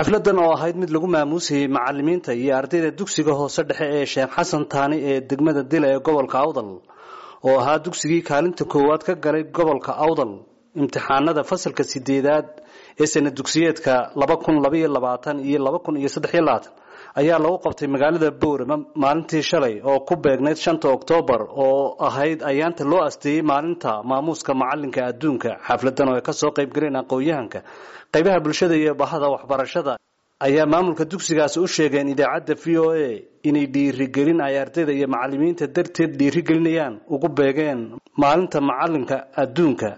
Xafladan oo ahayd mid lagu maamuusayay macalimiinta iyo ardayda dugsiga hoose dhexe ee Sheekh Xasan Taani ee degmada Dila ee gobolka Awdal, oo ahaa dugsigii kaalinta koowaad ka galay gobolka Awdal imtixaanada fasalka 8aad ee sana dugsiyeedka 2022 iyo 2023, ayaa lagu qabtay magaalada Boorama maalintii shalay oo ku beegnayd 5 Oktoobar, oo ahayd ayaanta loo asteeyey maalinta maamuuska macalinka adduunka. Xafladan oo ay kasoo qayb galeen aqoon-yahanka, qaybaha bulshada iyo bahada waxbarashada ayaa maamulka dugsigaasi u sheegeen idaacadda VOA inay dhiirigelin ay ardayda iyo macalimiinta darteed dhiirigelinayaan ugu beegeen maalinta macalinka adduunka.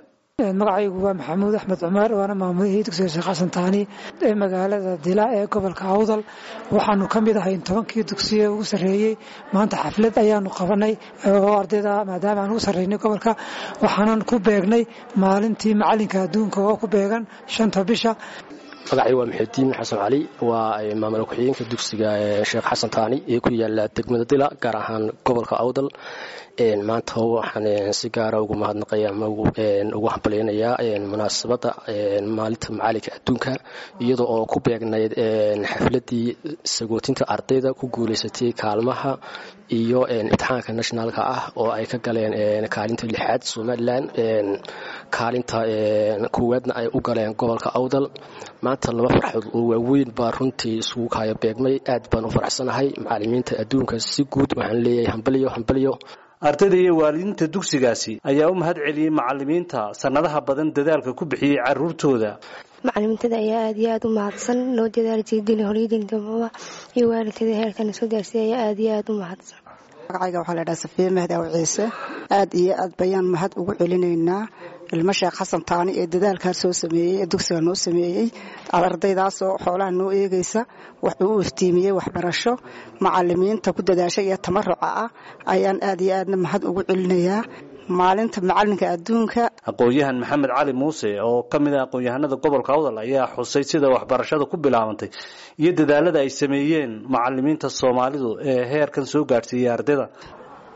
Magacaygu waa Maxamuud Axmed Cumar, waana maamulihii dugsiga Sheekh Xasan Taani ee magaalada Dila ee gobolka Awdal. Waxaanu ka mid ahay 10kii dugsiye ugu sarreeyey. Maanta xaflad ayaanu qabanay oo ardayda, maadaama aan ugu sarreynay gobolka, waxaanan ku beegnay maalintii macalinka adduunka oo ku beegan 5ta bisha. Magacay waa Muxidiin Xasan Cali, waa maamul ku-xigeenka dugsiga Sheekh Xasan Taani ee ku yaala degmada Dila, gaar ahaan gobolka Awdal. Maanta waxaan si gaara ugu mahadnaqaya ama ugu hambalyaynayaa munaasabadda maalinta macalinka adduunka, iyadoo oo ku beegnayd xafladii sagootinta ardayda ku guuleysatay kaalmaha iyo imtixaanka nationalka ah oo ay ka galeen kaalinta 6aad Somalilan, kaalinta koowaadna ay u galeen gobolka Awdal. Maanta laba farxood oo waaweyn baa runtii isugu kaayo beegmay. Aad baan u faraxsanahay. Macalimiinta adduunka si guud waxaan leeyahay hambalyo, hambalyo. Ardayda iyo waalidiinta dugsigaasi ayaa u mahad celiyey macalimiinta sanadaha badan dadaalka ku bixiyey caruurtooda. Macalimiintada ayaa aad iyo aad u mahadsan, noo dadaal jeedin horyadindamaba iyo waalidtada heerkana soo gaarsiiya ayaa aad iyo aad u mahadsan. Magacayga waxaa la dhaha Safiye Mahdi Aw Ciise. Aad iyo aad bayaan mahad ugu celinaynaa ilmo Sheekh Xasan Taani ee dadaalkaa soo sameeyey ee dugsiga noo sameeyey, ardaydaasoo xoolaha noo eegaysa, wax uu iftiimiyey waxbarasho. Macalimiinta ku dadaashay iyo tamaruca ah ayaan aad iyo aadna mahad ugu celinayaa maalinta macalinka adduunka. Aqoon-yahan Maxamed Cali Muuse oo ka mid ah aqoon-yahanada gobolka Awdal ayaa xusay sida waxbarashada ku bilaabantay iyo dadaalada ay sameeyeen macalimiinta Soomaalidu ee heerkan soo gaadhsiiyey ardayda.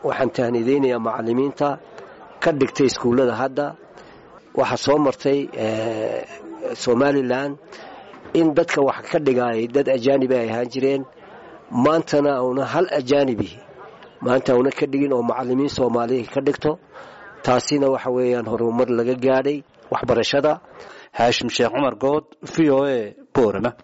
Waxaan tahnideynayaa macalimiinta ka dhigtay iskuullada. Hadda waxaa soo martay Somalilan in dadka wax ka dhigaayay dad ajaanibi ay ahaan jireen. Maantana una hal ajaanibi maanta una ka dhigin oo macalimiin Soomaaliya ka dhigto. Taasina waxa weeyaan horumar laga gaadhay waxbarashada. Haashim Sheekh Cumar Good, VOA, Boorama.